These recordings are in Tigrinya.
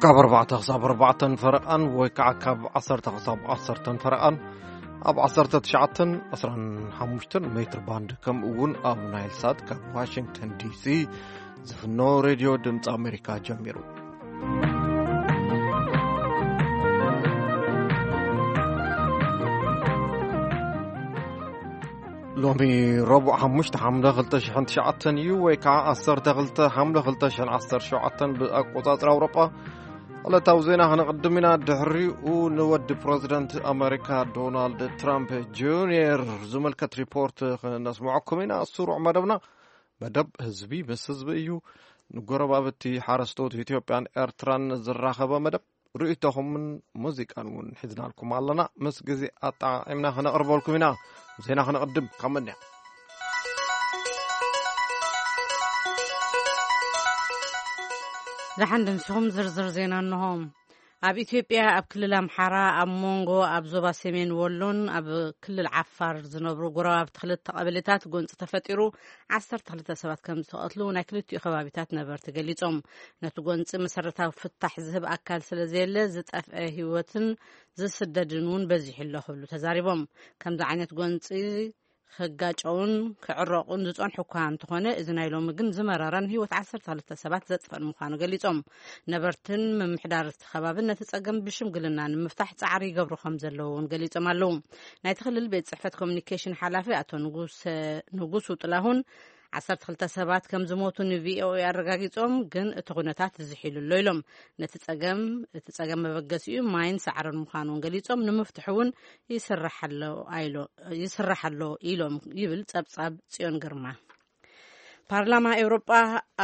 ካብ ኣርባዕተ ክሳብ ኣርባዕተን ፈረቓን ወይ ከዓ ካብ ዓሰርተ ክሳብ ዓሰርተን ፈረቓን ኣብ ዓሰርተ ትሽዓተን ዕስራን ሓሙሽተን ሜትር ባንድ፣ ከምኡ እውን ኣብ ናይል ሳት ካብ ዋሽንግተን ዲሲ ዝፍኖ ሬድዮ ድምፂ ኣሜሪካ ጀሚሩ። ሎሚ ረቡዕ ሓሙሽተ ሓምለ ክልተ ሽሕን ትሽዓተን እዩ፣ ወይ ከዓ ዓሰርተ ክልተ ሓምለ ክልተ ሽሕን ዓሰርተ ሸውዓተን ብኣቆፃፅራ ኣውሮጳ። ዕለታዊ ዜና ክንቕድም ኢና። ድሕሪኡ ንወዲ ፕረዚደንት ኣሜሪካ ዶናልድ ትራምፕ ጁንየር ዝምልከት ሪፖርት ክነስምዐኩም ኢና። ስሩዕ መደብና መደብ ህዝቢ ምስ ህዝቢ እዩ። ንጎረባብቲ ሓረስቶት ኢትዮጵያን ኤርትራን ዝራኸበ መደብ፣ ርእይቶኹምን ሙዚቃን እውን ሒዝናልኩም ኣለና። ምስ ግዜ ኣጠዓዒምና ክነቕርበልኩም ኢና። ዜና ክነቕድም ካብ መንያ። ደሓን ድምስኹም። ዝርዝር ዜና እንሆ። ኣብ ኢትዮጵያ ኣብ ክልል ኣምሓራ ኣብ መንጎ ኣብ ዞባ ሰሜን ወሎን ኣብ ክልል ዓፋር ዝነብሩ ጎረባብቲ ክልተ ቀበሌታት ጎንፂ ተፈጢሩ ዓሰርተ ክልተ ሰባት ከም ዝተቐትሉ ናይ ክልቲኡ ከባቢታት ነበርቲ ገሊጾም። ነቲ ጎንፂ መሰረታዊ ፍታሕ ዝህብ ኣካል ስለ ዘየለ ዝጠፍአ ህይወትን ዝስደድን እውን በዚሑ ኣሎ ክብሉ ተዛሪቦም። ከምዚ ዓይነት ጎንፂ ክጋጨውን ክዕረቑን ዝጸንሑ እኳ እንተኾነ፣ እዚ ናይ ሎሚ ግን ዝመረረን ህይወት ዓሰርተ ክልተ ሰባት ዘጥፈን ምዃኑ ገሊጾም። ነበርትን ምምሕዳር እቲ ከባብን ነቲ ጸገም ብሽምግልና ንምፍታሕ ጻዕሪ ይገብሩ ከም ዘለዉ እውን ገሊጾም ኣለዉ። ናይቲ ክልል ቤት ጽሕፈት ኮሚኒኬሽን ሓላፊ ኣቶ ንጉሰ-፣ ንጉሱ ጥላሁን ዓሰርተ ክልተ ሰባት ከም ዝሞቱ ንቪኦኤ ኣረጋጊጾም፣ ግን እቲ ኩነታት ዝሒሉ ኣሎ ኢሎም። ነቲ ጸገም፣ እቲ ጸገም መበገሲኡ ማይን ሳዕርን ምዃኑ እውን ገሊጾም፣ ንምፍትሑ እውን ይስራሕ ኣሎ ኣይሎ-፣ ይስራሕ ኣሎ ኢሎም ይብል ጸብጻብ ጽዮን ግርማ። ፓርላማ ኤውሮጳ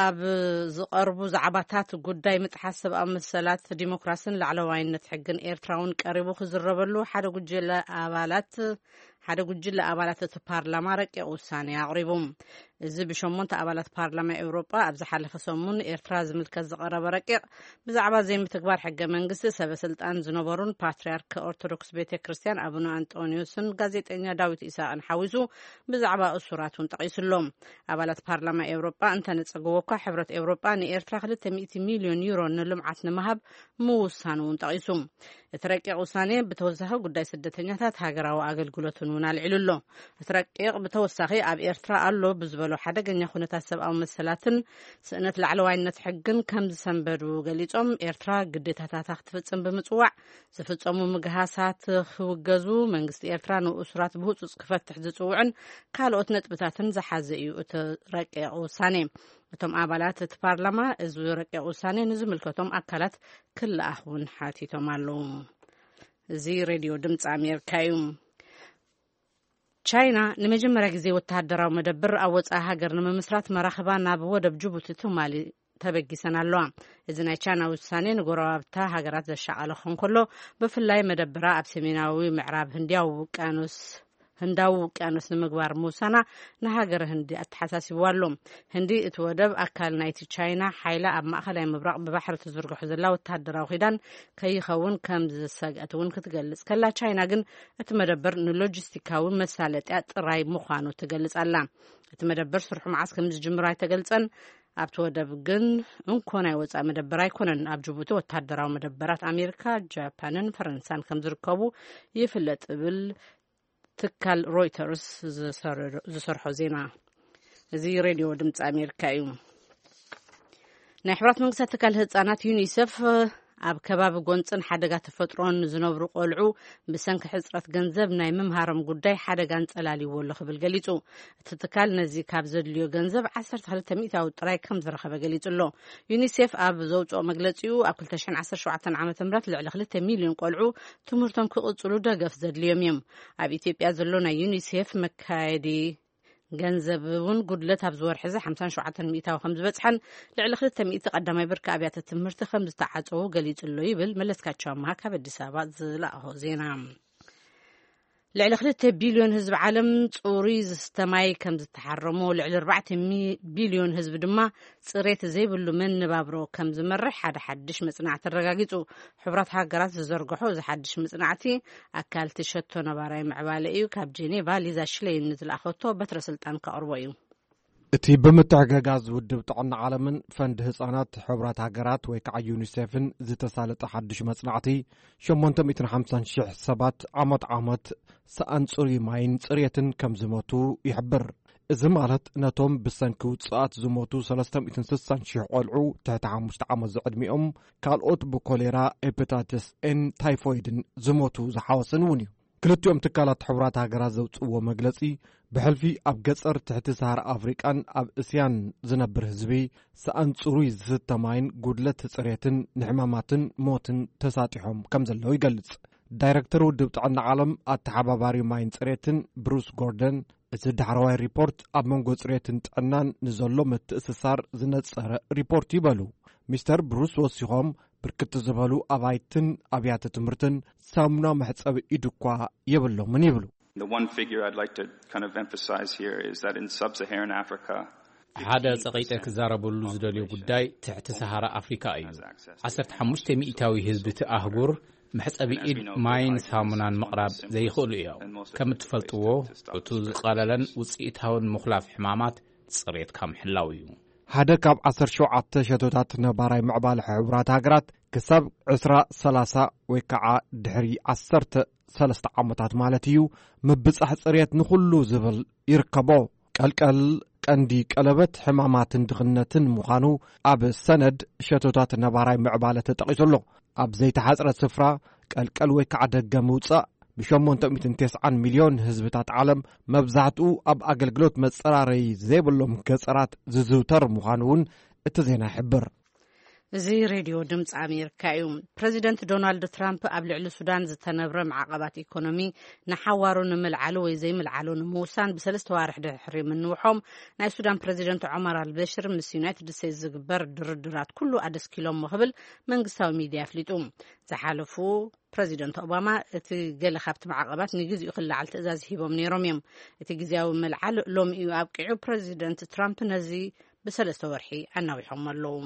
ኣብ ዝቐርቡ ዛዕባታት ጉዳይ ምጥሓስ ሰብኣዊ መሰላት፣ ዲሞክራስን ላዕለዋይነት ሕግን ኤርትራ እውን ቀሪቡ ክዝረበሉ ሓደ ጉጅለ ኣባላት፣ ሓደ ጉጅለ ኣባላት እቲ ፓርላማ ረቂቕ ውሳኔ ኣቕሪቡ። እዚ ብሸሞንተ ኣባላት ፓርላማ ኤውሮጳ ኣብ ዝሓለፈ ሰሙን ኤርትራ ዝምልከት ዝቐረበ ረቂቕ፣ ብዛዕባ ዘይምትግባር ሕገ መንግስቲ ሰበ ስልጣን ዝነበሩን ፓትርያርክ ኦርቶዶክስ ቤተ ክርስቲያን ኣቡነ ኣንጦንዮስን ጋዜጠኛ ዳዊት ኢሳቅን ሓዊሱ ብዛዕባ እሱራት እውን ጠቒሱ ኣሎ። ኣባላት ፓርላማ ኤውሮጳ እንተነጸግዎ እኳ፣ ሕብረት ኤውሮጳ ንኤርትራ ክልተ ሚእቲ ሚልዮን ዩሮ ንልምዓት ንምሃብ ምውሳኑ እውን ጠቒሱ። እቲ ረቂቕ ውሳኔ ብተወሳኺ ጉዳይ ስደተኛታት ሃገራዊ ኣገልግሎትን እውን ኣልዒሉ ኣሎ። እቲ ረቂቕ ብተወሳኺ ኣብ ኤርትራ ኣሎ ብዝበሎ ሓደገኛ ኩነታት ሰብኣዊ መሰላትን ስእነት ላዕለዋይነት ሕግን ከም ዝሰንበዱ ገሊጾም፣ ኤርትራ ግዴታታታ ክትፍጽም ብምጽዋዕ ዝፍጸሙ ምግሃሳት ክውገዙ፣ መንግስቲ ኤርትራ ንእሱራት ብህጹጽ ክፈትሕ ዝጽውዕን ካልኦት ነጥብታትን ዝሓዘ እዩ እቲ ረቂቕ ውሳኔ። እቶም ኣባላት እቲ ፓርላማ እዚ ረቂቕ ውሳኔ ንዝምልከቶም ኣካላት ክለኣኽ እውን ሓቲቶም ኣለዉ። እዚ ሬድዮ ድምፂ ኣሜሪካ እዩ። ቻይና ንመጀመርያ ግዜ ወተሃደራዊ መደብር ኣብ ወጻኢ ሃገር ንምምስራት መራኽባ ናብ ወደብ ጅቡቲ ትማሊ ተበጊሰን ኣለዋ። እዚ ናይ ቻይና ውሳኔ ንጎረባብታ ሃገራት ዘሻቐለ ክኸውን ከሎ፣ ብፍላይ መደብራ ኣብ ሰሜናዊ ምዕራብ ህንድያዊ ውቅያኖስ፣ ህንዳዊ ውቅያኖስ ንምግባር ምውሳና ንሃገረ ህንዲ ኣተሓሳሲብዋ ኣሎ። ህንዲ እቲ ወደብ ኣካል ናይቲ ቻይና ሓይላ ኣብ ማእኸላይ ምብራቕ ብባሕሪ ትዝርግሖ ዘላ ወተሃደራዊ ኪዳን ከይኸውን ከም ዝሰግአት እውን ክትገልጽ ከላ፣ ቻይና ግን እቲ መደበር ንሎጂስቲካዊ መሳለጥያ ጥራይ ምዃኑ ትገልጽ ኣላ። እቲ መደበር ስርሑ መዓስ ከም ዝጅምር ኣይተገልጸን። ኣብቲ ወደብ ግን እንኮ ናይ ወጻኢ መደበር ኣይኮነን። ኣብ ጅቡቲ ወተሃደራዊ መደበራት ኣሜሪካ፣ ጃፓንን ፈረንሳን ከም ዝርከቡ ይፍለጥ፣ እብል ትካል ሮይተርስ ዝሰርሖ ዜና። እዚ ሬድዮ ድምፂ ኣሜሪካ እዩ። ናይ ሕብራት መንግስታት ትካል ህፃናት ዩኒሴፍ ኣብ ከባቢ ጎንፅን ሓደጋ ተፈጥሮን ዝነብሩ ቆልዑ ብሰንኪ ሕፅረት ገንዘብ ናይ ምምሃሮም ጉዳይ ሓደጋ እንፀላልዎ ኣሎ ክብል ገሊፁ። እቲ ትካል ነዚ ካብ ዘድልዮ ገንዘብ ዓሰርተ ክልተ ሚእታዊ ጥራይ ከም ዝረኸበ ገሊፁ ኣሎ። ዩኒሴፍ ኣብ ዘውፅኦ መግለፂኡ፣ ኣብ ክልተ ሽሕን ዓሰርተ ሸውዓተን ዓመተ ምህረት ልዕሊ ክልተ ሚልዮን ቆልዑ ትምህርቶም ክቕፅሉ ደገፍ ዘድልዮም እዮም። ኣብ ኢትዮጵያ ዘሎ ናይ ዩኒሴፍ መካየዲ ገንዘብ እውን ጉድለት ኣብዚ ወርሒ እዚ ሓምሳን ሸውዓተን ሚእታዊ ከም ዝበፅሐን፣ ልዕሊ ክልተ ሚእቲ ቀዳማይ ብርኪ ኣብያተ ትምህርቲ ከም ዝተዓፀዉ ገሊፁ ኣሎ ይብል መለስካቸው ኣምሃ ካብ ኣዲስ ኣበባ ዝለኣኾ ዜና። ልዕሊ ክልተ ቢልዮን ህዝቢ ዓለም ፅሩይ ዝስተ ማይ ከም ዝተሓረሞ፣ ልዕሊ ኣርባዕተ ቢልዮን ህዝቢ ድማ ፅሬት ዘይብሉ መነባብሮ ከም ዝመርሕ ሓደ ሓድሽ መፅናዕቲ ኣረጋጊፁ። ሕቡራት ሃገራት ዝዘርግሖ እዚ ሓድሽ መፅናዕቲ፣ ኣካል እቲ ሸቶ ነባራይ ምዕባለ እዩ። ካብ ጄኔቫ ሊዛ ሽሌይን ንዝለኣኸቶ በትረ ስልጣን ከቕርቦ እዩ። እቲ ብምትሕግጋዝ ውድብ ጥዕና ዓለምን ፈንድ ህጻናት ሕቡራት ሃገራት ወይ ከዓ ዩኒሴፍን ዝተሳለጠ ሓድሽ መጽናዕቲ፣ ሸሞንተ ሚእትን ሓምሳን ሽሕ ሰባት ዓመት ዓመት ሰኣን ጽሩይ ማይን ጽሬትን ከም ዝሞቱ ይሕብር። እዚ ማለት ነቶም ብሰንኪ ውጽኣት ዝሞቱ ሰለስተ ሚእትን ስሳን ሽሕ ቆልዑ ትሕቲ ሓሙሽተ ዓመት ዝዕድሚኦም፣ ካልኦት ብኮሌራ፣ ሄፓታይተስ ኤን ታይፎይድን ዝሞቱ ዝሓወሰን እውን እዩ። ክልቲኦም ትካላት ሕቡራት ሃገራት ዘውፅእዎ መግለፂ፣ ብሕልፊ ኣብ ገፀር ትሕቲ ሰሃራ ኣፍሪቃን ኣብ እስያን ዝነብር ህዝቢ፣ ሰኣን ፅሩይ ዝስተ ማይን ጉድለት ፅሬትን ንሕማማትን ሞትን ተሳጢሖም ከም ዘለዉ ይገልፅ። ዳይረክተር ውድብ ጥዕና ዓለም ኣተሓባባሪ ማይን ፅሬትን ብሩስ ጎርደን፣ እቲ ዳሕረዋይ ሪፖርት ኣብ መንጎ ፅሬትን ጥዕናን ንዘሎ ምትእስሳር ዝነፀረ ሪፖርት እዩ በሉ። ሚስተር ብሩስ ወሲኾም፣ ብርክት ዝበሉ ኣባይትን ኣብያተ ትምህርትን ሳሙና መሕፀቢ ኢድ እኳ የብሎምን ይብሉ። The one figure I'd like to kind of emphasize here is that in sub-Saharan Africa, ሓደ ጸቂጠ ክዛረበሉ ዝደልዮ ጉዳይ ትሕቲ ሰሃራ ኣፍሪካ እዩ። ዓሰርተ ሓሙሽተ ሚእታዊ ህዝቢ እቲ ኣህጉር መሕጸቢ ኢድ ማይን ሳሙናን ምቕራብ ዘይኽእሉ እዮም። ከም እትፈልጥዎ፣ እቲ ዝቐለለን ውጽኢታውን ምኹላፍ ሕማማት ጽሬትካ ምሕላው እዩ። ሓደ ካብ ዓሰርተ ሸውዓተ ሸቶታት ነባራይ ምዕባለ ሕቡራት ሃገራት ክሳብ ዕስራ ሰላሳ ወይ ከዓ ድሕሪ ዓሰርተ ሰለስተ ዓመታት ማለት እዩ፣ ምብጻሕ ጽሬት ንኹሉ ዝብል ይርከቦ። ቀልቀል ቀንዲ ቀለበት ሕማማትን ድኽነትን ምዃኑ ኣብ ሰነድ ሸቶታት ነባራይ ምዕባለ ተጠቒሱ ኣሎ። ኣብ ዘይተሓጽረ ስፍራ ቀልቀል ወይ ከዓ ደገ ምውጻእ ብሸሞንተ ሚእትን ተስዓን ሚልዮን ህዝብታት ዓለም፣ መብዛሕትኡ ኣብ ኣገልግሎት መጸራረዪ ዘይብሎም ገጸራት ዝዝውተር ምዃኑ እውን እቲ ዜና ይሕብር። እዚ ሬድዮ ድምፂ ኣሜሪካ እዩ። ፕረዚደንት ዶናልድ ትራምፕ ኣብ ልዕሊ ሱዳን ዝተነብረ ማዕቐባት ኢኮኖሚ ንሓዋሩ ንምልዓሉ ወይ ዘይምልዓሉ ንምውሳን ብሰለስተ ዋርሕ ድሕሪ ምንውሖም፣ ናይ ሱዳን ፕረዚደንት ዖመር ኣልበሽር ምስ ዩናይትድ ስቴትስ ዝግበር ድርድራት ኩሉ ኣደስኪሎሞ ክብል መንግስታዊ ሚድያ ኣፍሊጡ። ዝሓለፉ ፕረዚደንት ኦባማ፣ እቲ ገለ ካብቲ ማዕቐባት ንግዜኡ ክለዓል ትእዛዝ ሂቦም ነይሮም እዮም። እቲ ግዜያዊ ምልዓል ሎሚ እዩ ኣብቂዑ። ፕረዚደንት ትራምፕ ነዚ ብሰለስተ ወርሒ ኣናዊሖም ኣለዉ።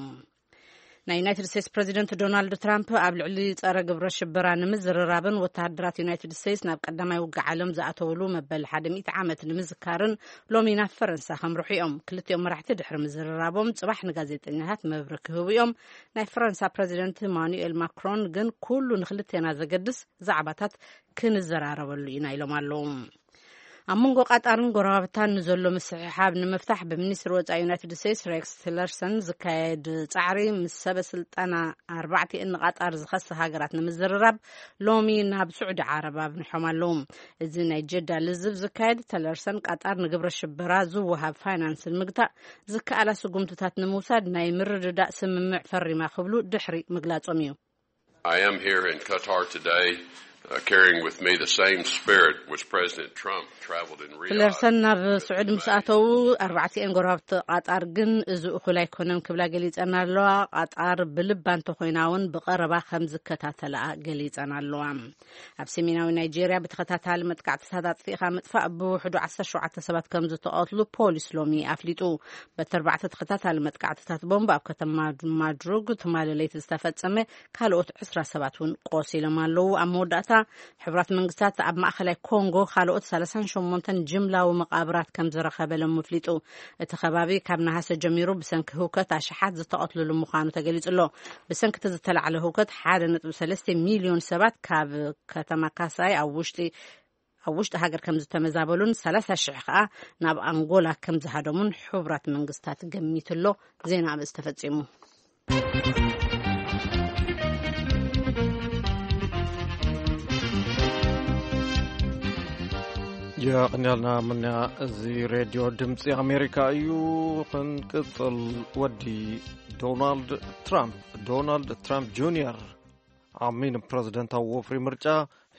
ናይ ዩናይትድ ስቴትስ ፕረዚደንት ዶናልድ ትራምፕ ኣብ ልዕሊ ጸረ ግብረ ሽበራ ንምዝርራብን ወተሃደራት ዩናይትድ ስቴትስ ናብ ቀዳማይ ውግእ ዓለም ዝኣተውሉ መበል ሓደ ሚእቲ ዓመት ንምዝካርን ሎሚ ናብ ፈረንሳ ከምርሑ እዮም። ክልቲኦም መራሕቲ ድሕሪ ምዝርራቦም ጽባሕ ንጋዜጠኛታት መብርሂ ክህቡ እዮም። ናይ ፈረንሳ ፕረዚደንት ኢማኑኤል ማክሮን ግን፣ ኩሉ ንክልቴና ዘገድስ ዛዕባታት ክንዘራረበሉ ኢና ኢሎም ኣለዉ። ኣብ መንጎ ቃጣርን ጎረባብታን ንዘሎ ምስሕሓብ ንምፍታሕ ብሚኒስትሪ ወጻኢ ዩናይትድ ስቴትስ ሬክስ ቲለርሰን ዝካየድ ጻዕሪ፣ ምስ ሰበ ስልጣና ኣርባዕቲኤን ንቃጣር ዝኸሳ ሃገራት ንምዝርራብ ሎሚ ናብ ስዑዲ ዓረብ ኣብኒሖም ኣለዉ። እዚ ናይ ጀዳ ልዝብ ዝካየድ፣ ቲለርሰን ቃጣር ንግብረ ሽበራ ዝወሃብ ፋይናንስ ንምግታእ ዝከኣላ ስጉምትታት ንምውሳድ ናይ ምርድዳእ ስምምዕ ፈሪማ ክብሉ ድሕሪ ምግላጾም እዩ። I am here in Qatar today, uh, carrying with me the same spirit which President Trump traveled in Riyadh. ቲለርሰን ናብ ስዑድ ምስ ኣተዉ፣ ኣርባዕቲኤን ጎረባብቲ ቃጣር ግን እዚ እኹል ኣይኮነን ክብላ ገሊጸን ኣለዋ። ቃጣር ብልባ እንተኾይና እውን ብቐረባ ከም ዝከታተላ ገሊጸን ኣለዋ። ኣብ ሰሜናዊ ናይጄርያ ብተኸታታሊ መጥቃዕትታት ኣጥፊእኻ ምጥፋእ ብውሕዱ ዓሰርተ ሸውዓተ ሰባት ከም ዝተቐትሉ ፖሊስ ሎሚ ኣፍሊጡ። በቲ ኣርባዕተ ተኸታታሊ መጥቃዕትታት ቦምብ ኣብ ከተማ ማድሩግ ትማሊ ለይቲ ዝተፈጸመ፣ ካልኦት ዕስራ ሰባት እውን ቆሲሎም ኣለዉ። ኣብ መወዳእታ፣ ሕቡራት መንግስታት ኣብ ማእኸላይ ኮንጎ ካልኦት ሰላሳን ሸሞንተን ጅምላዊ መቓብራት ከም ዝረኸበ ሎሚ ኣፍሊጡ። እቲ ከባቢ ካብ ነሃሰ ጀሚሩ ብሰንኪ ህውከት ኣሽሓት ዝተቐትልሉ ምዃኑ ተገሊጹ ኣሎ። ብሰንኪ እቲ ዝተላዕለ ህውከት ሓደ ነጥቢ ሰለስተ ሚልዮን ሰባት ካብ ከተማ ካሳይ ኣብ ውሽጢ ኣብ ውሽጢ ሃገር ከም ዝተመዛበሉን ሰላሳ ሽሕ ከኣ ናብ ኣንጎላ ከም ዝሃደሙን ሕቡራት መንግስታት ገሚቱ ኣሎ። ዜና ኣርእስቲ ተፈጺሙ። የቕንያልና ምንያ፣ እዚ ሬድዮ ድምፂ ኣሜሪካ እዩ። ክንቅፅል፣ ወዲ ዶናልድ ትራምፕ፣ ዶናልድ ትራምፕ ጁኒየር፣ ኣብ ሚን ፕረዚደንታዊ ወፍሪ ምርጫ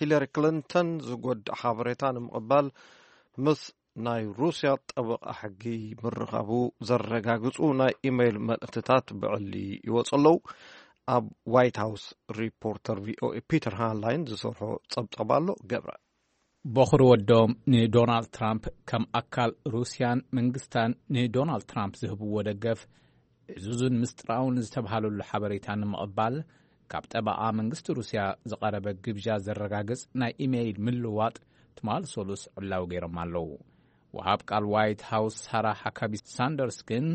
ሂለሪ ክሊንተን ዝጎድእ ሓበሬታ ንምቕባል ምስ ናይ ሩስያ ጠበቓ ሕጊ ምርኻቡ ዘረጋግጹ ናይ ኢሜይል መልእኽትታት ብዕሊ ይወጹ ኣለዉ። ኣብ ዋይት ሃውስ ሪፖርተር ቪኦኤ ፒተር ሃንላይን ዝሰርሖ ጸብጻብ ኣሎ። ገብረ። በኹሪ ወዶም ንዶናልድ ትራምፕ ከም ኣካል ሩስያን መንግስታን ንዶናልድ ትራምፕ ዝህብዎ ደገፍ ዕዙዝን ምስጢራውን ዝተብሃለሉ ሓበሬታ ንምቕባል፣ ካብ ጠበቓ መንግስቲ ሩስያ ዝቐረበ ግብዣ ዘረጋግጽ ናይ ኢሜይል ምልውዋጥ ትማል ሰሉስ ዕላዊ ገይሮም ኣለዉ። ወሃብ ቃል ዋይት ሃውስ ሳራ ሃካቢ ሳንደርስ ግን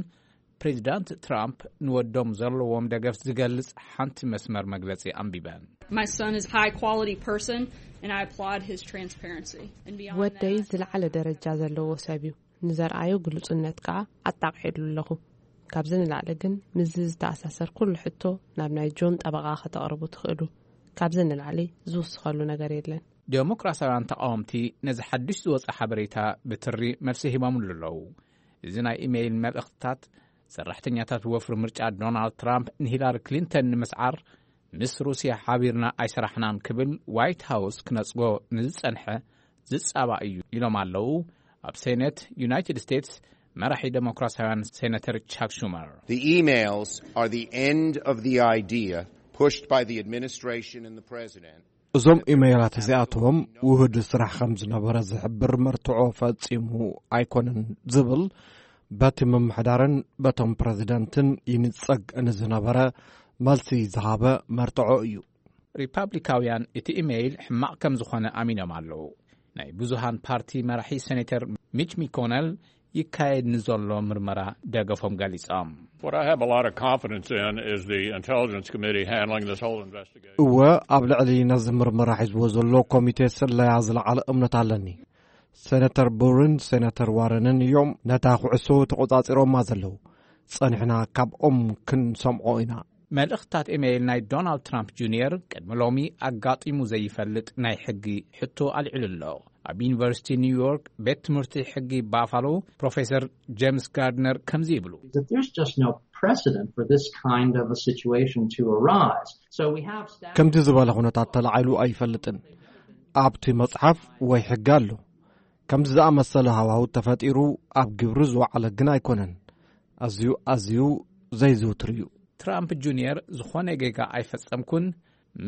ፕሬዚዳንት ትራምፕ ንወዶም ዘለዎም ደገፍ ዝገልጽ ሓንቲ መስመር መግለጺ ኣንቢበን። My son is a high quality person, and I applaud his transparency. And beyond ወደይ that, ዝለዓለ ደረጃ ዘለዎ ሰብ እዩ። ንዘርኣዮ ግሉጽነት ከኣ ኣጣቕዒሉ ኣለኹ። ካብዚ ንላዕሊ ግን ምስዚ ዝተኣሳሰር ኩሉ ሕቶ ናብ ናይ ጆን ጠበቓ ከተቕርቡ ትኽእሉ። ካብዚ ንላዕሊ ዝውስኸሉ ነገር የለን። ዴሞክራሲያውያን ተቓወምቲ ነዚ ሓድሽ ዝወጸ ሓበሬታ ብትሪ መልሲ ሂቦምሉ ኣለዉ። እዚ ናይ ኢሜይል መልእኽትታት ሰራሕተኛታት ወፍሪ ምርጫ ዶናልድ ትራምፕ ንሂላሪ ክሊንተን ንምስዓር ምስ ሩስያ ሓቢርና ኣይሰራሕናን ክብል ዋይት ሃውስ ክነጽጎ ንዝጸንሐ ዝጻባእ እዩ ኢሎም ኣለዉ። ኣብ ሴኔት ዩናይትድ ስቴትስ መራሒ ዴሞክራሲያውያን ሴነተር ቻክ ሹመር። The emails are the end of the idea pushed by the administration and the president. እዞም ኢሜይላት እዚኣቶም ውህድ ስራሕ ከም ዝነበረ ዝሕብር መርትዖ ፈጺሙ ኣይኮነን ዝብል በቲ ምምሕዳርን በቶም ፕረዚደንትን ይንጸግ ንዝነበረ መልሲ ዝሃበ መርትዖ እዩ። ሪፓብሊካውያን እቲ ኢሜይል ሕማቕ ከም ዝኾነ ኣሚኖም ኣለዉ። ናይ ብዙሃን ፓርቲ መራሒ ሴኔተር ሚች ሚኮነል ይካየድ ንዘሎ ምርመራ ደገፎም ገሊጾም። What I have a lot of confidence in is the Intelligence Committee handling this whole investigation. እወ፣ ኣብ ልዕሊ ነዚ ምርመራ ሒዝዎ ዘሎ ኮሚቴ ስለያ ዝለዓለ እምነት ኣለኒ። ሴነተር ቡርን ሴነተር ዋረንን እዮም ነታ ኩዕሶ ተቖጻጺሮማ ዘለዉ። ጸኒሕና ካብኦም ክንሰምዖ ኢና። መልእኽትታት ኢሜይል ናይ ዶናልድ ትራምፕ ጁኒየር ቅድሚ ሎሚ ኣጋጢሙ ዘይፈልጥ ናይ ሕጊ ሕቶ ኣልዒሉ ኣሎ። ኣብ ዩኒቨርሲቲ ኒውዮርክ ቤት ትምህርቲ ሕጊ ባፋሎ ፕሮፌሰር ጄምስ ጋርድነር ከምዚ ይብሉ። That there's just no precedent for this kind of a situation to arise. So we have statutes. ከምዚ ዝበለ ኩነታት ተላዒሉ ኣይፈልጥን። ኣብቲ መጽሓፍ ወይ ሕጊ ኣሎ። ከምዚ ዝኣመሰለ ሃዋሁ ተፈጢሩ ኣብ ግብሪ ዝወዓለ ግን ኣይኮነን። ኣዝዩ ኣዝዩ ዘይዝውትር እዩ። ትራምፕ ጁኒየር ዝኾነ ጌጋ ኣይፈጸምኩን፣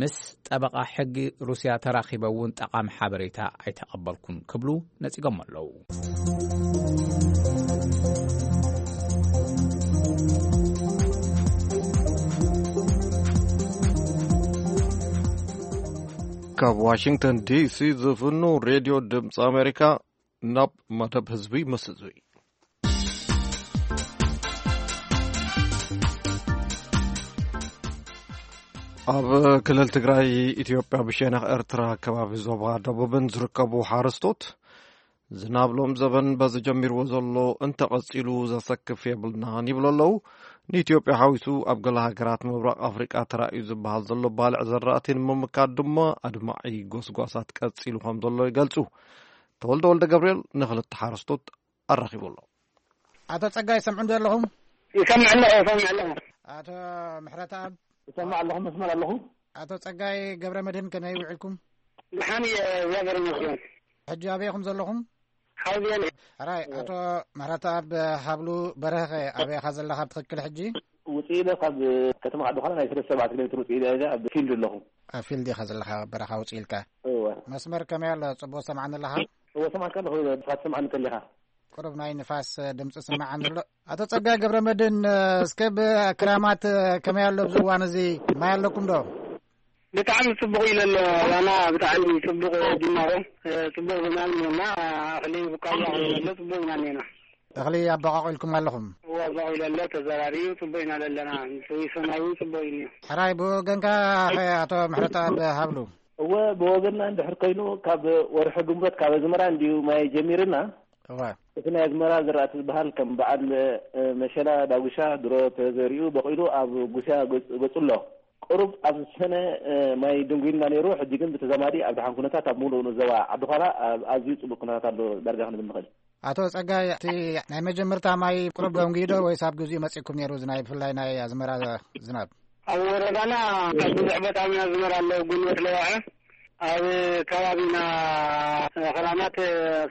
ምስ ጠበቓ ሕጊ ሩስያ ተራኺበ እውን ጠቓሚ ሓበሬታ ኣይተቐበልኩን ክብሉ ነጺጎም ኣለዉ። ካብ ዋሽንግተን ዲሲ ዝፍኑ ሬድዮ ድምፂ ኣሜሪካ ናብ መደብ ህዝቢ ምስ ህዝቢ። ኣብ ክልል ትግራይ ኢትዮጵያ ብሸነኽ ኤርትራ ከባቢ ዞባ ደቡብን ዝርከቡ ሓረስቶት ዝናብ ሎም ዘበን በዚ ጀሚርዎ ዘሎ እንተቐጺሉ ዘሰክፍ የብልናን ይብሉ ኣለዉ። ንኢትዮጵያ ሓዊሱ ኣብ ገለ ሃገራት ምብራቕ ኣፍሪቃ ተራእዩ ዝበሃል ዘሎ ባልዕ ዘራእቲ ንምምካት ድማ ኣድማዒ ጎስጓሳት ቀጺሉ ከም ዘሎ ይገልጹ። ተወልደ ወልደ ገብርኤል ንኽልተ ሓረስቶት ኣራኺቡ ኣሎ። ኣቶ ጸጋይ ሰምዑ እንዶ ኣለኹም? ይሰምዕ ኣለኹ፣ ይሰምዕ ኣለኹ። ኣቶ ምሕረተኣብ? ይሰምዕ ኣለኹ፣ መስመር ኣለኹ። ኣቶ ጸጋይ ገብረ መድህን ከመይ ውዒልኩም? ደሓን እየ፣ እግዚኣብሔር ይመስገን። ሕጂ ኣበይ ኢኹም ዘለኹም? ሓውዜን። ሕራይ፣ ኣቶ ምሕረተኣብ ሃብሉ በርሀኸ ኣበይ ኢኻ ዘለኻ ብትኽክል ሕጂ? ውፅእ ኢለ ካብ ከተማ ዓዲ ዃላ ናይ ሰለስተ ኣርባዕተ ኪሎ ሜትር ውፅእ ኢለ እዛ ኣብ ፊልድ ኣለኹ። ኣብ ፊልድ ኢኻ ዘለኻ፣ በረኻ ውፅእ ኢልካ? እወ። መስመር ከመይ ኣሎ? ጽቡቕ ሰምዓኒ ኣለኻ? እወ፣ ሰማዕካ ኣለኹ፣ ንስኻ ትሰምዓኒ እንተሊኻ። ቁሩብ ናይ ንፋስ ድምፂ ስምዓኒ ኣሎ። ኣቶ ጸጋይ ገብረ መድህን፣ እስከ ብክራማት ከመይ ኣሎ ኣብዚ እዋን እዚ? ማይ ኣለኩም ዶ? ብጣዕሚ ጽቡቕ ኢሉ ኣሎ። ዋና ብጣዕሚ ጽቡቕ ጅማሮ፣ ጽቡቕ ዝናብ እኒኦና፣ እኽሊ ብቃያ ኮይኑ ኣሎ፣ ጽቡቕ ኢና እኒኦና። እኽሊ ኣበቋቒልኩም ኣለኹም? እወ፣ ኣበቋቒሉ ኣሎ፣ ተዘራሪቡ፣ ጽቡቕ ኢና ዘለና። ሰማይ እውን ጽቡቕ እዩ እኒኦ። ሕራይ፣ ብወገንካ ኸ ኣቶ ምሕረተኣብ ሃብሉ? እወ፣ ብወገንና እንድሕር ኮይኑ፣ ካብ ወርሒ ግንቦት ካብ ኣዝመራ እንድዩ ማይ ጀሚርና። እወ። እቲ ናይ ኣዝመራ ዝራእቲ ዝበሃል ከም በዓል፣ እ፣ መሸላ፣ ዳጉሻ ድሮ ተዘሪኡ በቒሉ ኣብ ጉስያ ገጽ-፣ ገጹ ኣሎ። ቁሩብ ኣብ ሰነ፣ እ፣ ማይ ደንጒዩልና ነይሩ፣ ሕጂ ግን ብተዛማዲ ኣብ ደሓን ኩነታት ኣብ ሙሉእ ዞባ ዓዲ ዃላ ኣብ ኣዝዩ ጽቡቕ ኩነታት ኣሎ ዳርጋ ክንብል ንኽእል። ኣቶ ጸጋይ፣ እቲ ናይ መጀመርታ ማይ ቁሩብ ደንጒዩ ዶ ወይስ ኣብ ግዜኡ መጺእኩም ነይሩ፣ እዚ ናይ ብፍላይ ናይ ኣዝመራ ዝናብ? ኣብ ወረዳና ኣብ ብዙሕ ቦታ ኣዝመራ ኣሎ፣ ጉልበት ለዋዐ ኣብ ከባቢና ኽራማት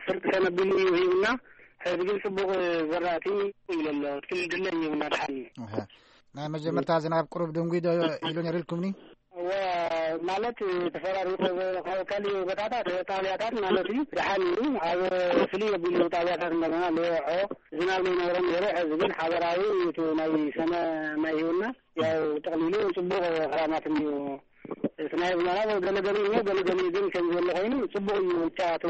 ፍርቂ ሰነ ቢሉ እዩ ሂብና። ሕዚ ግን ጽቡቕ ዘራእቲ ኢሉ ኣሎ። እቲ ድለይ እዩ እናድሓን እዩ። ኣሃ። ናይ መጀመርታ ዝናብ ቁሩብ ድንጉይ ዶ ኢሉ ነይሩ ኢልኩምኒ? እወ፣ ማለት ተፈራሪቑ፣ ካብ ካሊእ ቦታታት ጣብያታት ማለት እዩ። ደሓን እዩ። ኣብ ፍልይ ኣቢሉ ጣብያታት እንደገና ለውዖ ዝናብ ዘይነበሮም ነይሩ። ሕዚ ግን ሓበራዊ እቲ ናይ ሰነ ማይ ሂቡና። ያው ጠቕሊሉ ጽቡቕ ኽራማት እንድዩ እቲ ናይ ኣዝመራ ገለገለ እሞ ገለገለ ግን ከም ዘሎ ኮይኑ ጽቡቕ እዩ። ብቻ እቲ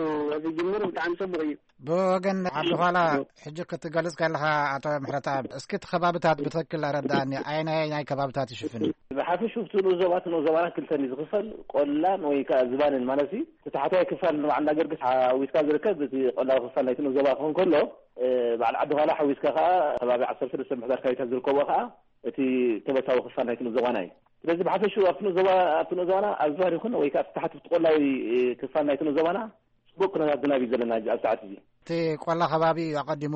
ዝጅምር ብጣዕሚ ጽቡቕ እዩ። ብወገን ዓዲ ዃላ ሕጂ ክትገልጽ ከለኻ፣ ኣቶ ምሕረተኣብ፣ እስኪ እቲ ከባብታት ብትኽክል ኣረዳእኒ። ኣየናይ ናይ ከባብታት ይሽፍን? ብሓፈሽኡ እቲ ንኡስ ዞባ፣ እቲ ንኡስ ዞባና ክልተ እዩ ዝኽፈል፣ ቆላን ወይ ከኣ ዝባንን ማለት እዩ። እቲ ታሕተዋይ ክፋል ንባዕልና ገርግስ ሓዊስካ ዝርከብ እቲ ቆላዊ ክፋል ናይቲ ንኡስ ዞባ ክኸውን ከሎ፣ እ፣ በዓል ዓዲ ዃላ ሓዊስካ ከኣ ከባቢ ዓሰርተ ሰለስተ ምሕዳር ከባቢታት ዝርከቦ ከኣ እቲ ከበሳዊ ክፋል ናይቲ ንኡስ ዞባና እዩ። ስለዚ ብሓፈሽኡ ኣብቲ ንኡስ ዞባ፣ ኣብቲ ንኡስ ዞባና ኣብ ዝባን ይኹን ወይ ከኣ ኣብቲ ታሕቲ፣ ኣብቲ ቆላዊ፣ እ፣ ክፋል ናይቲ ንኡስ ዞባና ጽቡቕ ኩነታት ዝናብ እዩ ዘለና ኣብዚ ሰዓት እዚ። እቲ ቆላ ከባቢ እዩ ኣቐዲሙ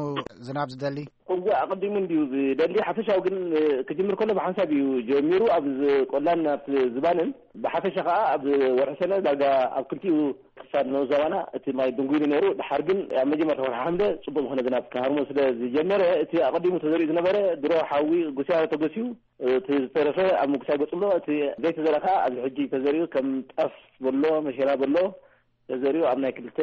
ዝናብ ዝደሊ? እወ፣ ኣቐዲሙ እንድዩ ዝደሊ። ሓፈሻዊ ግን፣ እ፣ ክጅምር ከሎ ብሓንሳብ እዩ ጀሚሩ፣ ኣብ ዝ-፣ ቆላን ኣብ ዝባንን። ብሓፈሻ ከኣ ኣብ ወርሒ ሰነ ዳርጋ ኣብ ክልቲኡ ክፋል ንኡስ ዞባና እቲ ማይ ድንጉይሉ ነይሩ። ድሓር ግን ኣብ መጀመርታ ወርሒ ሓምለ ጽቡቕ ዝኾነ ዝናብ ክሃርሞ ስለ ዝጀመረ፣ እቲ ኣቐዲሙ ተዘሪኡ ዝነበረ ድሮ ሓዊ ጉስያ ተጎስዩ፣ እቲ ዝተረፈ ኣብ ምጉሳይ ገጹ ኣሎ። እቲ ዘይተዘርአ ከኣ ኣብዚ ሕጂ ተዘሪኡ ከም ጣፍ በሎ፣ መሸላ በሎ፣ ተዘሪኡ ኣብ ናይ ክልተ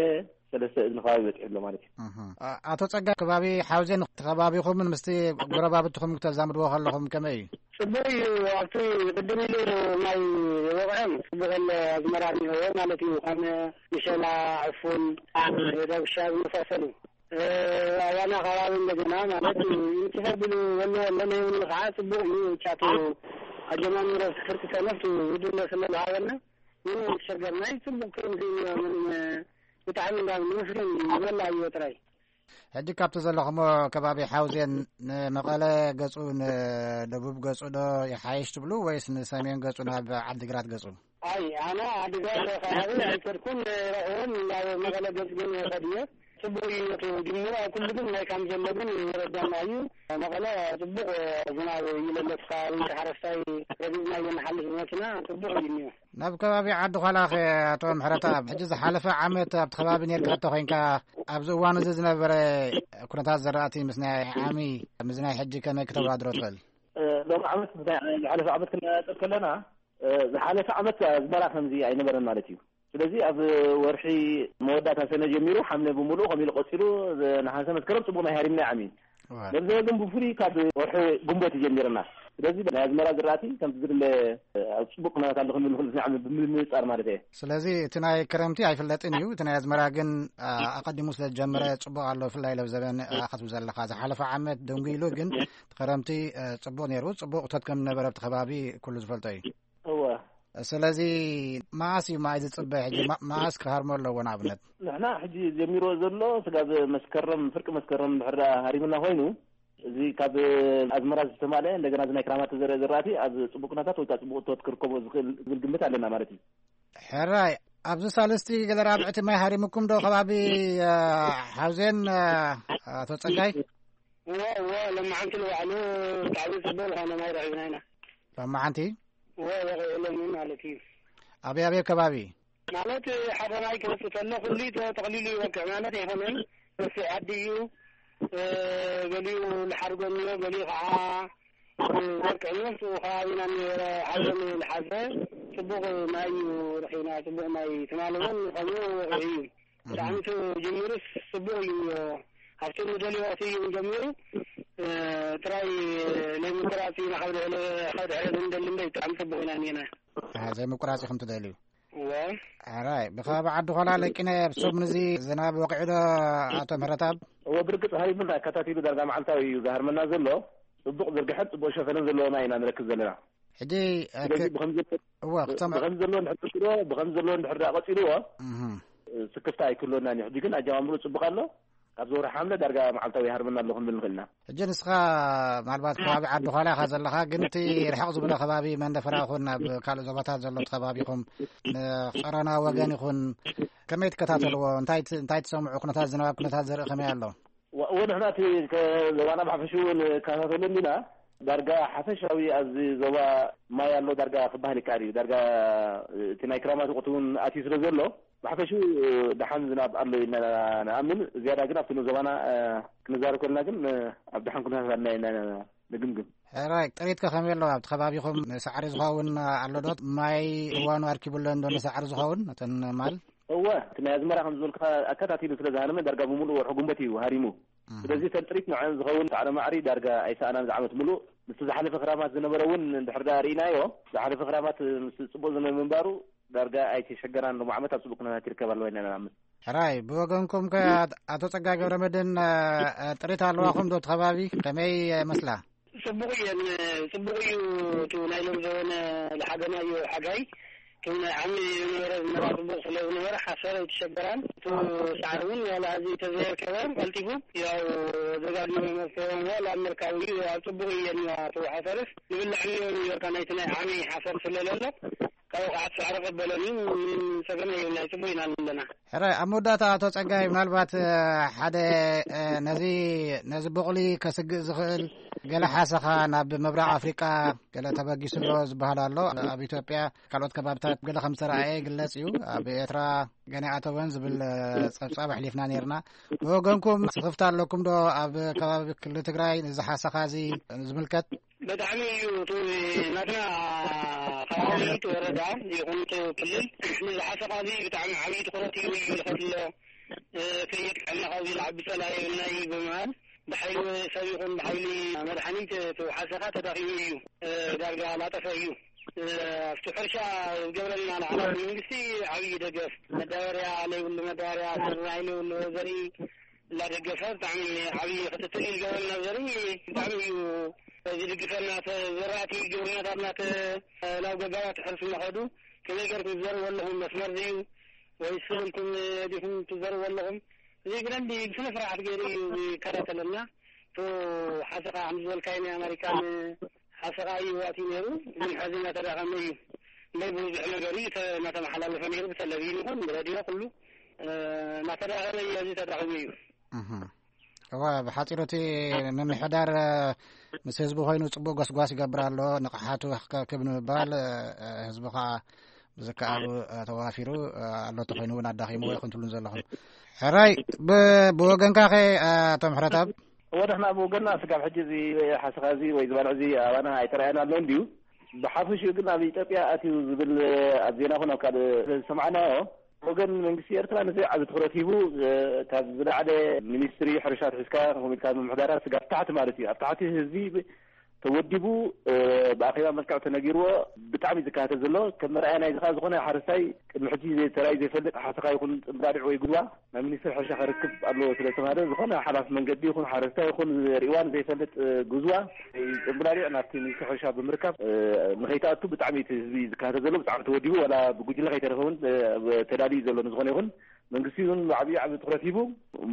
ሰለስተ እዝኒ ከባቢ በጺሑ ኣሎ ማለት እዩ። እህ። ኣ-፣ ኣቶ ጸጋ፣ ከባቢ ሓውዜን እቲ ከባቢኹምን ምስቲ ጎረባብትኹም ክተዛምድዎ ከለኹም ከመይ እዩ? ጽቡቕ እዩ። ኣብቲ ቅድም ኢሉ ማይ ወቕዕን ጽቡቕ ኣሎ፣ ኣዝመራ እኒሆ ማለት እዩ። ከም ምሸላ፣ ዕፉን፣ ዳጉሻ ዝመሳሰሉ። እ፣ ኣባና ከባቢ እንደገና ማለት እዩ። እንትን ተቢሉ ወሎ ወሎ ናይ ወሎ ከዓ ጽቡቕ እዩ። ቻቱ ኣጀማምሮ ፍርቂ ሰነፍቱ ውድለ ስለ ዝሃበና፣ ምንም ኣይተሸገርናይ። ጽቡቕ ክረምቲ እዩ። ምንም ብጣዕሚ እንዳ ንመስገን እዩ። መላ እዩ ጥራይ። ሕጂ ካብቲ ዘለኹሞ ከባቢ ሓውዜን ንመቐለ ገጹ፣ ንደቡብ ገጹ ዶ ይሓይሽ ትብሉ፣ ወይስ ንሰሜን ገጹ ናብ ዓዲግራት ገጹ? ኣይ፣ ኣነ ዓዲግራት ከባቢ ኣይከድኩን፣ ረኹን ናብ መቐለ ገጽ ግን ይኸድ እየ። ጽቡቕ እዩ ነቱ ጅምሩ፣ ኣብ ኩሉ ግን ማይ ከም ዘሎ ግን ይረዳና እዩ። መቐለ ጽቡቕ ዝናብ እዩ ለሎ፣ እቲ ከባቢ ሓረስታይ ረጊጽና እየ ንሓልፍ ብመኪና፣ ጽቡቕ እዩ እኒኦ። ናብ ከባቢ ዓዲ ዃላኸ፣ ኣቶ ምሕረተኣብ፣ ሕጂ ዝሓለፈ ዓመት ኣብቲ ከባቢ ነርካ እንተ ኮይንካ፣ ኣብዚ እዋን እዚ ዝነበረ ኩነታት ዘራእቲ ምስ ናይ ዓሚ፣ ምስ ናይ ሕጂ ከመይ ክተወዳድሮ ትኽእል? እ፣ ሎም ዓመት ምስ ናይ ዝሓለፈ ዓመት ክነጻጸር ከለና፣ እ፣ ዝሓለፈ ዓመት ኣዝመራ ከምዚ ኣይነበረን ማለት እዩ። ስለዚ ኣብ ወርሒ መወዳእታ ሰነ ጀሚሩ ሓምለ ብምሉኡ ከምኡ ኢሉ ቀጺሉ፣ ዝ-፣ ነሓሰ መስከረም ጽቡቕ ናይ ሃሪምና ዓሚ። እወ። ነዚ ግን ብፍሉይ ካብ ወርሒ ግንቦት ጀሚርና። ስለዚ ናይ ኣዝመራ ዝራእቲ ከምቲ ዝድለ ኣብ ጽቡቕ ኩነታት ኣሎ ክንብል ንኽእል፣ እዚ ዓሚ ብምንጻር ማለት እየ። ስለዚ እቲ ናይ ክረምቲ ኣይፍለጥን እዩ። እቲ ናይ ኣዝመራ ግን፣ ኣ-፣ ኣቐዲሙ ስለ ዝጀመረ ጽቡቕ ኣሎ፣ ብፍላይ ለብ ዘበን፣ ኣ፣ ክትብል ዘለኻ። ዝሓለፈ ዓመት ደንጉይሉ፣ ግን እቲ ክረምቲ፣ እ፣ ጽቡቕ ነይሩ። ጽቡቕ እቶት ከም ዝነበረ ኣብቲ ከባቢ ኩሉ ዝፈልጦ እዩ። እወ። ስለዚ መኣስ እዩ ማይ ዝጽበ ሕጂ? ማ-፣ መኣስ ክሃርሞ ኣለዎ ንኣብነት? ንሕና ሕጂ ጀሚርዎ ዘሎ ስጋብ መስከረም፣ ፍርቂ መስከረም እንድሕር ደኣ ሃሪምና ኮይኑ፣ እዚ ካብ ኣዝመራ ዝተማልአ እንደገና እዚ ናይ ክራማት ተዘርአ ዝራእቲ ኣብ ጽቡቕ ኩነታት ወይ ከዓ ጽቡቕ እቶት ክርከቦ ዝኽእል ዝብል ግምት ኣለና ማለት እዩ። ሕራይ፣ ኣብዚ ሳልስቲ ገለ ራብዕቲ ማይ ሃሪምኩም ዶ ከባቢ፣ እ፣ ሓውዜን፣ እ፣ ኣቶ ጸጋይ? እወ፣ እወ፣ ሎማዓንቲ ንባዕሉ ብጣዕሚ ጽቡቕ ዝኾነ ማይ ረኺብና ኢና። ሎማዓንቲ? እወ፣ ወቒዕሎም ማለት እዩ። ኣበይ ኣበይ ከባቢ? ማለት ሓደ ማይ ክመጽእ ከሎ ኩሉ ተጠቕሊሉ ይወቅዕ ማለት ኣይኮነን። ሰፊሕ ዓዲ እዩ። እ፣ ገሊኡ ልሓርጎ እኒኦ፣ ገሊኡ ከዓ፣ እ፣ ወርቂ እኒኦ። ምስኡ ከባቢና እኒኦ፣ ሓዘን ልሓዘ ጽቡቕ ማይ እዩ ረኺብና። ጽቡቕ ማይ ትማሊ እውን ከምኡ ወቒዑ እዩ። ብጣዕሚ እቲ ጅምሩስ ጽቡቕ እዩ እኒኦ። ኣብቲ ንደልዮ ወቕቲ እዩ ጀሚሩ። እ፣ ጥራይ ናይ ምቁራጽ ኢና ካብ ድሕረ፣ ካብ ድሕረ ንደሊ እምበር ብጣዕሚ ጽቡቕ ኢና እኒኤና። አ፣ ዘይምቁራጽ ኢኹም ትደልዩ? እወ። ኣራይ፣ ብኸባቢ ዓዲ ኾላ ለቂነ፣ ኣብ ሰሙን እዚ ዝናብ ወቂዑ ዶ፣ ኣቶ ምህረተኣብ? እወ፣ ብርግጽ ሃሪሙና፣ ኣከታቲሉ ዳርጋ መዓልታዊ እዩ ዝሃርመና ዘሎ። ጽቡቕ ዝርግሐን ጽቡቕ ሸፈነን ዘለዎ ማይ ኢና ንረክብ ዘለና። ሕጂ፣ እ፣ ስለዚ ክ-፣ ብኸም ዘሎ፣ እወ፣ ክሰምዕ። ብኸም ዘሎ እንድሕር ቀጺልዎ፣ ብኸም ዘሎ እንድሕር ደኣ ቀጺልዎ፣ እህ። ስክፍታ ኣይክህልወናን እዩ። ሕጂ ግን ኣጀማምሩ ጽቡቕ ኣሎ። ካብ ወርሒ ሓምለ ዳርጋ መዓልታዊ ይሃርመና ኣሎ ክንብል ንኽእል ኢና። ሕጂ ንስኻ ምናልባት ከባቢ ዓዲ ዃላ ኢኻ ዘለኻ፣ ግን እቲ ርሕቕ ዝበለ ከባቢ መንደፈራ ይኹን ናብ ካልእ ዞባታት ዘሎ እቲ ከባቢኹም፣ ንጾሮና ወገን ይኹን፣ ከመይ ትከታተልዎ? እንታይ ት-፣ እንታይ ትሰምዑ? ኩነታት ዝናብ፣ ኩነታት ዘርኢ ከመይ ኣሎ? ዋ-፣ እወ፣ ንሕና እቲ ከ-፣ ዞባና ብሓፈሽኡ ንከታተሎ እንዲና። ዳርጋ ሓፈሻዊ ኣብዚ ዞባ ማይ ኣሎ ዳርጋ ክበሃል ይከኣል እዩ። ዳርጋ እቲ ናይ ክራማት ወቕቲ እውን ኣትዩ ስለ ዘሎ፣ ብሓፈሽኡ ደሓን ዝናብ ኣሎ ኢልና ንኣምን። ዝያዳ ግን ኣብቲ ንዞባና፣ እ፣ ክንዛረብ ከለና ግን፣ እ፣ ኣብ ደሓን ኩነታት ኣለና ኢልና ንግምግም። ሕራይ፣ ጥሪት ከ ከመይ ኣሎ? ኣብቲ ከባቢኹም ንሳዕሪ ዝኸውን ኣሎ ዶ? ማይ እዋኑ ኣርኪቡ ኣሎ እንዶ ንሳዕሪ ዝኸውን? ነተን ማል? እወ፣ እቲ ናይ ኣዝመራ ከም ዝበልካ ኣከታቲሉ ስለ ዝሃረመ ዳርጋ ብምሉእ ወርሒ ጉንበት እዩ ሃሪሙ። ስለዚ ተንጥሪት ንዐን ዝኸውን ሳዕረ ማዕሪ ዳርጋ ኣይሰኣናን ዝዓመት ምሉእ። ምስቲ ዝሓለፈ ክራማት ዝነበረ እውን እንድሕር ደኣ ርኢናዮ፣ ዝሓለፈ ክራማት ምስ ጽቡቕ ዝነበ ምንባሩ ዳርጋ ኣይተሸገራን። ሎሚ ዓመት ኣብ ጽቡቕ ኩነታት ይርከብ ኣለዋ ኢና ንኣምን። ሕራይ፣ ብወገንኩም ከ ኣት-፣ ኣቶ ጸጋይ ገብረመድህን፣ እ፣ እ፣ ጥሪት ኣለዋኹም ዶ እቲ ከባቢ? ከመይ ይመስላ? ጽቡቕ እየን። ጽቡቕ እዩ። እቲ ናይ ሎም ዘበነ ዝሓገናዮ ሓጋይ፣ እቲ ናይ ዓሚ ዝነበረ ዝነበራ ጽቡቕ ስለ ዝነበረ ሓሰር ኣይተሸገራን። እቲ ሳዕሪ እውን ዋላ እዚ ተዘየርከበ ቀልጢፉ ያው ደጋግሞ መፍትሔ ዋላ ኣብ ምርካብ እዩ። ኣብ ጽቡቕ እየን። እቲ ሓሰርስ ንብልዕ እኒኦ ኒውዮርካ ናይቲ ናይ ዓሚ ሓሰር ስለ ዘሎ ካብ ወቕዓት ሳዕሪ ቀበለን እዩ። ምንም ጸገም የብልና። ጽቡቕ ኢና ኣለና። ሕራይ፣ ኣብ መወዳእታ ኣቶ ጸጋይ፣ ምናልባት፣ እ፣ ሓደ፣ እ፣ ነዚ፣ ነዚ ቡቕሊ ከስግእ ዝኽእል ገለ ሓሰኻ ናብ ምብራቕ ኣፍሪቃ ገለ ተበጊሱ ኣሎ ዝበሃል ኣሎ። ኣብ ኢትዮጵያ ካልኦት ከባብታት ገለ ከም ዝተረኣየ ይግለጽ እዩ። ኣብ ኤርትራ ገና ኣይኣተወን ዝብል፣ እ፣ ጸብጻብ ኣሕሊፍና ነይርና። ብወገንኩም ስኽፍታ ኣለኩም ዶ ኣብ ከባቢ ክልል ትግራይ ንዚ ሓሰኻ እዚ ዝምልከት? ብጣዕሚ እዩ። እቲ ናትና ከባቢ፣ እቲ ወረዳ ይኹን እቲ ክልል ንዚ ሓሰኻ እዚ ብጣዕሚ ዓብዪ ትኹረት እዩ ይልከት ኣሎ። እ፣ ከየጥቅዐና ካብዚ ዝዓቢ ጸላኢ የብልና እዩ ብምባል ብሓይሊ ሰብ ይኹን ብሓይሊ መድሓኒት እቲ ሓሰኻ ተዳኺሙ እዩ። እ፣ ዳርጋ ላጠፈ እዩ። እ፣ ኣብቲ ሕርሻ ዝገብረልና ላዕላዊ መንግስቲ ዓብዪ ደገፍ፣ መዳበርያ ለይብሉ መዳበርያ፣ ዘርኢ ለይብሉ ዘርኢ እናደገፈ ብጣዕሚ ዓብዪ ክትትል እዩ ዝገብረልና። ዘርኢ ብጣዕሚ እዩ ዝድግፈና። ተ-፣ ዘራእቲ ግብርናታትና ተ-፣ ናብ ገባራት ሕርስ እናኸዱ ከመይ ገርኩም ትዘርዎ ኣለኹም? መስመር ድዩ ወይስ ስብልኩም ዲኹም ትዘርዎ ኣለኹም? እዚ ብደንቢ ብስነ ስርዓት ገይሩ እዩ ዝከታተለና። እቲ ሓሰኻ ከም ዝበልካዮ ናይ ኣሜሪካን ሓሰኻ እዩ ኣትዩ ነይሩ። ግን ሕዚ እናተዳኸመ እዩ። እምበይ ብብዙሕ ነገር እዩ ተ-፣ እናተመሓላለፈ ነይሩ፣ ብተለቪዥን ይኹን ብሬድዮ ኩሉ፣ እ፣ እናተዳኸመ እዩ። ሕዚ ተዳኺሙ እዩ። እህ። እወ፣ ብሓፂሩ እቲ ምምሕዳር፣ እ፣ ምስ ህዝቢ ኮይኑ ፅቡቅ ጎስጓስ ይገብር ኣሎ። ንቕሓቱ ከክብ ንምባል፣ እ፣ እ፣ ህዝቢ ከዓ ብዝከኣሉ፣ እ፣ ተዋፊሩ፣ እ፣ ኣሎ ተኮይኑ እውን ኣዳኺምዎ ይኹን ትብሉን ዘለኹም። ሕራይ፣ ብ-፣ ብወገንካ ኸ፣ እ፣ ኣቶ ምሕረተኣብ? እወ፣ ንሕና ብወገንና ስጋብ ሕጂ እዚ ሓሰኻ እዚ ወይ ዝባልዕ እዚ ኣባና ኣይተረኣየና ኣሎ እንድዩ። ብሓፈሽኡ ግን ኣብ ኢትዮጵያ ኣትዩ ዝብል ኣብ ዜና ይኹን ኣብ ካልእ ዝሰማዕናዮ፣ ወገን መንግስቲ ኤርትራ ነዚ ዓቢ ትኹረት ሂቡ፣ እ፣ ካብ ዝለዓለ ሚኒስትሪ ሕርሻ ኣትሒዝካ፣ ከምኡ ኢልካ ምምሕዳራት ስጋብ ታሕቲ ማለት እዩ። ኣብ ታሕቲ ህዝቢ ተወዲቡ፣ እ፣ ብኣኼባ መልክዕ ተነጊርዎ ብጣዕሚ ዝከታተል ዘሎ። ከም መርኣያ ናይዚ ከኣ ዝኾነ ሓረስታይ ቅድሚ ሕጂ ዘይ-፣ ተራእዩ ዘይፈልጥ ሓሰኻ ይኹን ጽምብላሊዕ ወይ ጉድዋ ናብ ሚኒስትሪ ሕርሻ ከርክብ ኣለዎ ስለ ዝተባህለ፣ ዝኾነ ሓላፊ መንገዲ ይኹን ሓረስታይ ይኹን ርእዋ ንዘይፈልጥ፣ እ፣ ጉዝዋ ወይ ጽምብላሊዕ ናብቲ ሚኒስትሪ ሕርሻ ብምርካብ፣ እ፣ ንኸይትኣቱ ብጣዕሚ እቲ ህዝቢ ዝከታተል ዘሎ፣ ብጣዕሚ ተወዲቡ፣ ዋላ ብጉጅለ ከይተረፈ እውን፣ እ፣ ተዳልዩ ዘሎ። ንዝኾነ ይኹን መንግስቲ እውን ብዓብዩ ዓቢ ትኹረት ሂቡ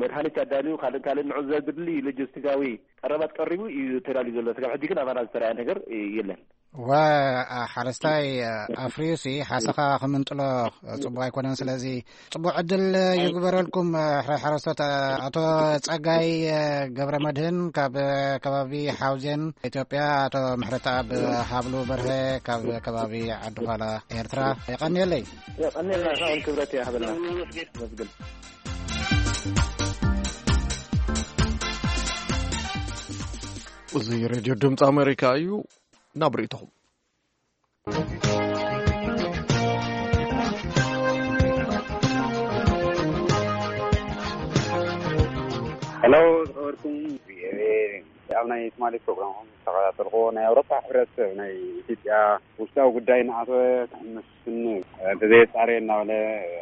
መድሃኒት ኣዳልዩ፣ ካልእ ካልእ ንዑ ዘድሊ ሎጂስቲካዊ ቀረባት ቀሪቡ እዩ ተዳልዩ ዘሎ። ስጋብ ሕጂ ግን ኣባና ዝተረኣየ ነገር የለን። ወ-፣ ሓረስታይ ኣፍርዩሲ ሓሰኻ ክምንጥሎ ጽቡቕ ኣይኮነን። ስለዚ ጽቡቕ ዕድል ይግበረልኩም፣ ሕራይ ሓረስቶት። ኣቶ ጸጋይ ገብረ መድህን ካብ ከባቢ ሓውዜን ኢትዮጵያ፣ ኣቶ ምሕረተኣብ ሃብሉ በርሀ ካብ ከባቢ ዓዲ ዃላ ኤርትራ፣ የቐንየለይ። የቐንየልና፣ ንሕና እውን ክብረት ይሃበልና። ነመስግን። ነመስግን። እዚ ሬድዮ ድምፂ ኣሜሪካ እዩ። ናብ ርእይቶኹም። ሄሎ፣ ዝኸበርኩም ቪኦኤ፣ ኣብ ናይ ትማሊ ፕሮግራምኩም ዝተኸታተልኩዎ፣ ናይ ኣውሮፓ ሕብረት ናይ ኢትዮጵያ ውሽጣዊ ጉዳይ እናኣተወ ክሕምስን እንተዘየጻረየ እናበለ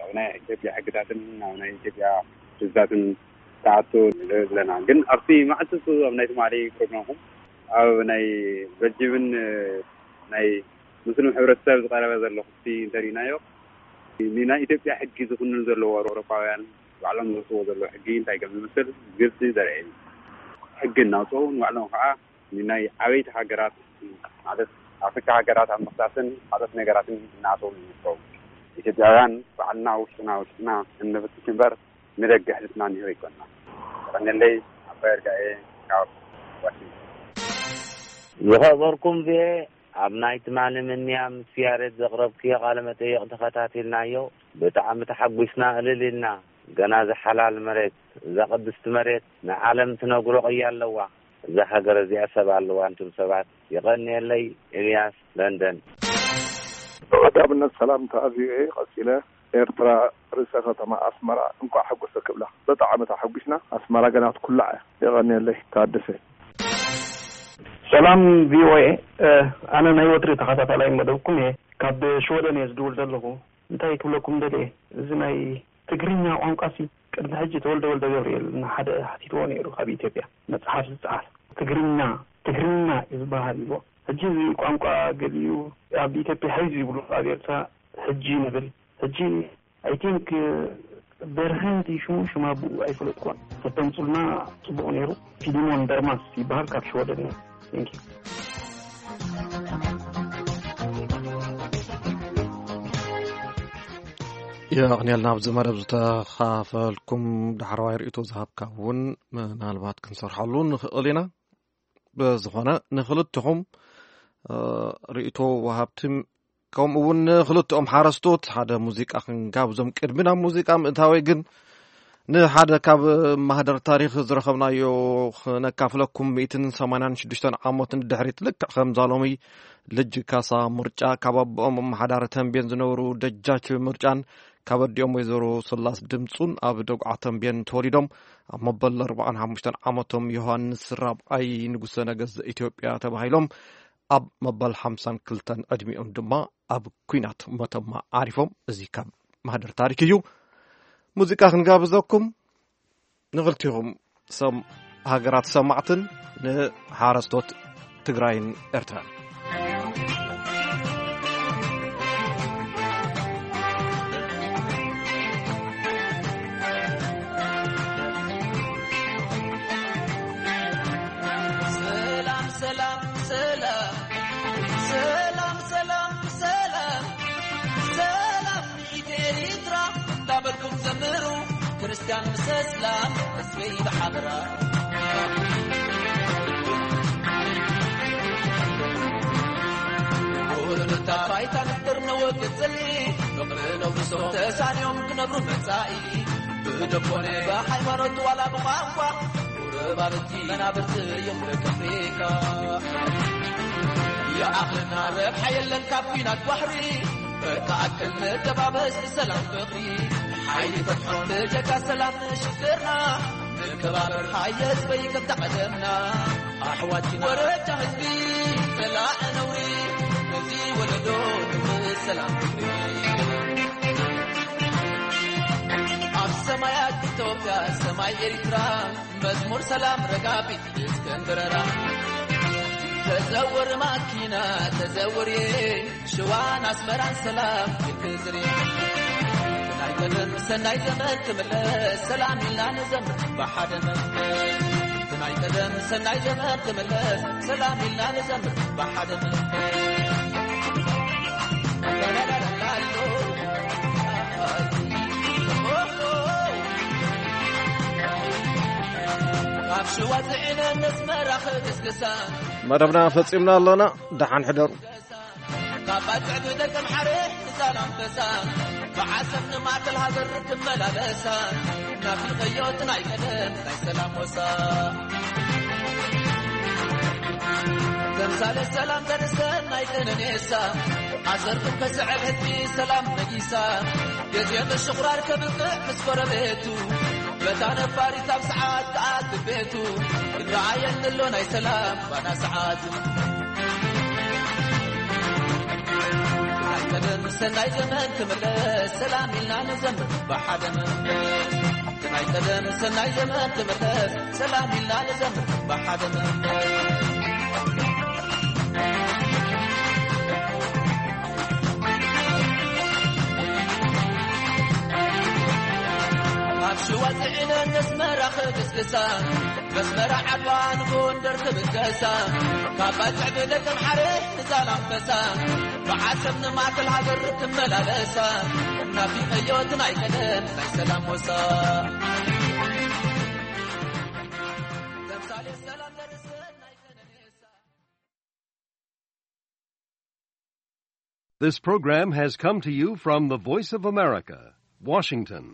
ኣብ ናይ ኢትዮጵያ ሕግታትን ኣብ ናይ ኢትዮጵያ ህዝብታትን ክኣቱ ንርኢ ኣለና። ግን ኣብቲ መዓልቲ እሱ ኣብ ናይ ትማሊ ፕሮግራምኩም ኣብ ናይ በልጅምን ናይ ሙስሊም ሕብረተሰብ ዝቐረበ ዘሎ ክሲ እንተሪእናዮ፣ ንናይ ኢትዮጵያ ሕጊ ዝኹንን ዘለዎ ኣውሮፓውያን ባዕሎም ዘውፅዎ ዘለዉ ሕጊ እንታይ ከም ዝመስል ግልፂ ዘርኢ እዩ። ሕጊ እናውፅኡ ንባዕሎም ከዓ ንናይ ዓበይቲ ሃገራት ማለት ኣፍሪካ ሃገራት ኣብ ምኽሳስን ካልኦት ነገራትን እናኣተዉ ይርከቡ። ኢትዮጵያውያን ባዕልና ውሽጥና ውሽጥና እንፍትሽ እምበር ንደገ ሕልፍና ንህብ ኣይኮንና። ቀነለይ ኣባይ እርጋኤ ካብ ዋሽንግተን። ዝኸበርኩም ቪኦኤ፣ ኣብ ናይ ትማሊ ምንያ ምስ ያሬድ ዘቕረብክዮ ቃለ መጠይቕ ተኸታቲልናዮ። ብጣዕሚ ተሓጒስና፣ እልል ኢልና። ገና እዛ ሓላል መሬት፣ እዛ ቅድስቲ መሬት ንዓለም ትነግሮ ቅያ ኣለዋ። እዛ ሃገር እዚኣ ሰብ ኣለዋ፣ እንቱም ሰባት። የቐንየለይ፣ ኤልያስ፣ ለንደን። ቀዳምነት ሰላምታ ቪኦኤ፣ ቀጺለ ኤርትራ ርእሰ ከተማ ኣስመራ እንኳዕ ሓጎሰ ክብላ። በጣዕሚ ተሓጒስና። ኣስመራ ገና ክትኩላዕ እያ። የቐንየለይ። ታደሰ። ሰላም ቪ ኦ ኤ፣ እ፣ ኣነ ናይ ወትሪ ተኸታታላይ መደብኩም እየ። ካብ ሽወደን እየ ዝድውል ዘለኹ። እንታይ ክብለኩም ደልየ፣ እዚ ናይ ትግርኛ ቋንቋሲ ቅድሚ ሕጂ ተወልደ ወልደ ገብርኤል ንሓደ ሓቲትዎ ነይሩ ካብ ኢትዮጵያ መጽሓፍ ዝጸሓፍ። ትግርኛ፣ ትግርኛ እዩ ዝበሃል እዎ። ሕጂ እዚ ቋንቋ ገሊኡ ኣብ ኢትዮጵያ ሕዚ ይብሉ፣ ኣብ ኤርትራ ሕጂ ንብል። ሕጂ ኣይ ቲንክ በርሀ እንዲ ሽሙ፣ ሽማ ብኡ ኣይፈለጥኩን። ተተምጹልና ጽቡቕ ነይሩ። ፊሊሞን ደርማስ ይበሃል፣ ካብ ሽወደን እዩ። Thank you። የቕንየልና ኣብዚ መደብ ዝተኻፈልኩም፣ ዳሕረዋይ ርእይቶ ዝሃብካ እውን ምናልባት ክንሰርሓሉ ንኽእል ኢና። ብዝኾነ ንኽልትኹም፣ እ፣ ርእይቶ ወሃብቲ ከምኡ እውን ንኽልትኦም ሓረስቶት ሓደ ሙዚቃ ክንጋብዞም። ቅድሚ ናብ ሙዚቃ ምእታወይ ግን ንሓደ ካብ ማህደር ታሪኽ ዝረኸብናዮ ክነካፍለኩም። ሚእትን ሰማንያን ሽዱሽተን ዓመት ንድሕሪት ልክዕ ከምዛ ሎሚ ልጅ ካሳ ምርጫ ካብ ኣቦኦም ኣመሓዳሪ ተንቤን ዝነበሩ ደጃች ምርጫን ካብ ኣዲኦም ወይዘሮ ስላስ ድምፁን ኣብ ደጉዓ ተንቤን ተወሊዶም ኣብ መበል ኣርባዓን ሓሙሽተን ዓመቶም ዮሃንስ ራብዓይ ንጉሰ ነገስት ዘኢትዮጵያ ተባሂሎም ኣብ መበል ሓምሳን ክልተን ዕድሚኦም ድማ ኣብ ኲናት መተማ ዓሪፎም። እዚ ካብ ማህደር ታሪክ እዩ። ሙዚቃ ክንጋብዘኩም ንኽልቲኹም ሰም-፣ ሃገራት ሰማዕትን ንሓረስቶት ትግራይን ኤርትራን። ሰላም ሰላም ሰላም ሰላም ሰላም ሰላም ሰላም ንኢት ኤሪትራ እንዳበልኩም ዘምሩ፣ ክርስትያን ምስ እስላም ህዝበይ ብሓበራ። ቁርብታ ባይታ ንፍጥር ነወግድ ጽልኢ፣ ፍቕሪ ነውርሶ ተሳንዮም ክነብሩ መጻኢ። ብደኮነ ብሃይማኖት ዋላ ብቋንቋ፣ ቁርባብቲ መናብርቲ እዮም ደቂ ኣፍሪካ። ይኣኽለና ረብሓ የለን ካብ ኲናት ባሕሪ፣ እተኣክል ንተባበስ ብሰላም ፍቕሪ። ሓይሊ ፈትሖ ብጀካ ሰላም ንሽግርና፣ ንከባበር ሃየ ህዝበይ ከምታ ቀደምና። ኣሕዋት ወረጃ ህዝቢ፣ ጸላኢ ነውሪ፣ ነዚ ወለዶ ብሰላም ፍቕሪ። ኣብ ሰማያት ኢትዮጵያ፣ ሰማይ ኤሪትራ፣ መዝሙር ሰላም ረጋቢት እስከንድረራ። ተዘወር ማኪና፣ ተዘወር ሽዋን ኣስመራን ሰላም ይትዝሪ። ናይ ቀደም ሰናይ ዘመን ክምለስ፣ ሰላም ኢልና ንዘምር ብሓደ መንፈስ። ናይ ቀደም ሰናይ ዘመን ክምለስ፣ ሰላም ኢልና ንዘምር ብሓደ መንፈስ። ካብ ሽዋ ጽዒነ ነስመራ ክግስግሳ። መደብና ፈጺምና ኣለና። ደሓን ሕደሩ። ካብ ባጽዕ ብደቀምሓረ ንዛላምበሳ፣ ብዓሰብ ንማእከል ሃገር ትመላለሳ፣ ናፊቐዮ እቲ ናይ ቀደም ናይ ሰላም ወሳ። ተምሳሌት ሰላም ተርሰን ናይ ቀነኔሳ፣ ኣሰርኩም ከስዕብ ሕጂ ሰላም ነጊሳ፣ ግዜ ምሽቑራር ከብቅዕ ምስ ጎረቤቱ፣ በታ ነፋሪት ኣብ ሰዓት ከኣ ትቤቱ፣ ይረኣየኒ ኣሎ ናይ ሰላም ባና ሰዓት። ናይ ቀደም ሰናይ ዘመን ክምለስ፣ ሰላም ኢልና ንዘምር ብሓደ መንፈስ። ናይ ቀደም ሰናይ ዘመን ክምለስ፣ ሰላም ኢልና ንዘምር ብሓደ መንፈስ። ካብ ሽዋ ጽዒነን ነስመራ ክግስግሳ፣ መስመራ ዓድዋ ንጎንደር ክብገሳ፣ ካብ ባጽዕ ብደቀምሓረ ንዛላምበሳ፣ ብዓሰብ ንማእከል ሃገር ክመላለሳ፣ ናፊቐዮ እቲ ናይ ቀደም ናይ ሰላም ወሳ። ተምሳሌት ሰላም ዘርሰ ናይ ቀነኔሳ። This program has come to you from the Voice of America, Washington.